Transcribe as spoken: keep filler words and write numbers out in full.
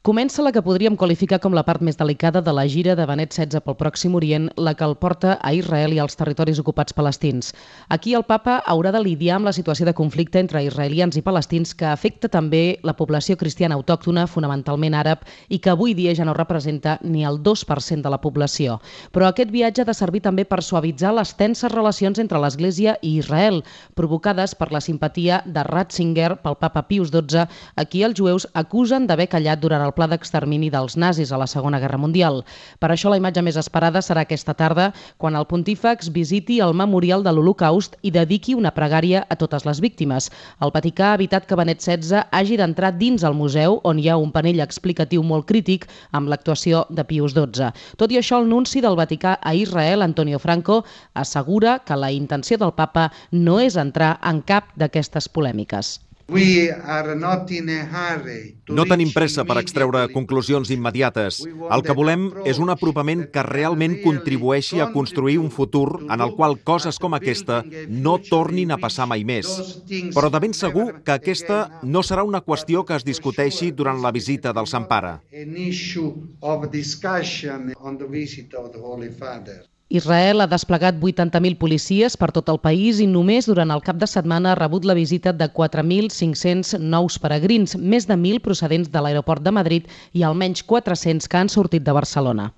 Comença la que podríem qualificar com la part més delicada de la gira de Benet setze pel Pròxim Orient, la que el porta a Israel i als territoris ocupats palestins. Aquí el papa haurà de lidiar amb la situació de conflicte entre israelians i palestins que afecta també la població cristiana autòctona, fonamentalment àrab, i que avui dia ja no representa ni el dos per cent de la població. Però aquest viatge ha de servir també per suavitzar les tenses relacions entre l'Església i Israel, provocades per la simpatia de Ratzinger pel papa Pius dotze, a qui els jueus acusen d'haver callat durant el el pla d'extermini dels nazis a la Segona Guerra Mundial. Per això la imatge més esperada serà aquesta tarda, quan el pontífex visiti el memorial de l'Holocaust i dediqui una pregària a totes les víctimes. El Vaticà ha evitat que Benet setze hagi d'entrar dins el museu, on hi ha un panell explicatiu molt crític amb l'actuació de Pius dotze. Tot i això, el nunci del Vaticà a Israel, Antonio Franco, assegura que la intenció del papa no és entrar en cap d'aquestes polèmiques. No tenim pressa per extreure conclusions immediates. El que volem és un apropament que realment contribueixi a construir un futur en el qual coses com aquesta no tornin a passar mai més. Però de ben segur que aquesta no serà una qüestió que es discuteixi durant la visita del Sant Pare. Israel ha desplegat vuitanta mil policies per tot el país i només durant el cap de setmana ha rebut la visita de quatre mil cinc-cents nous peregrins, més de mil procedents de l'aeroport de Madrid i almenys quatre-cents que han sortit de Barcelona.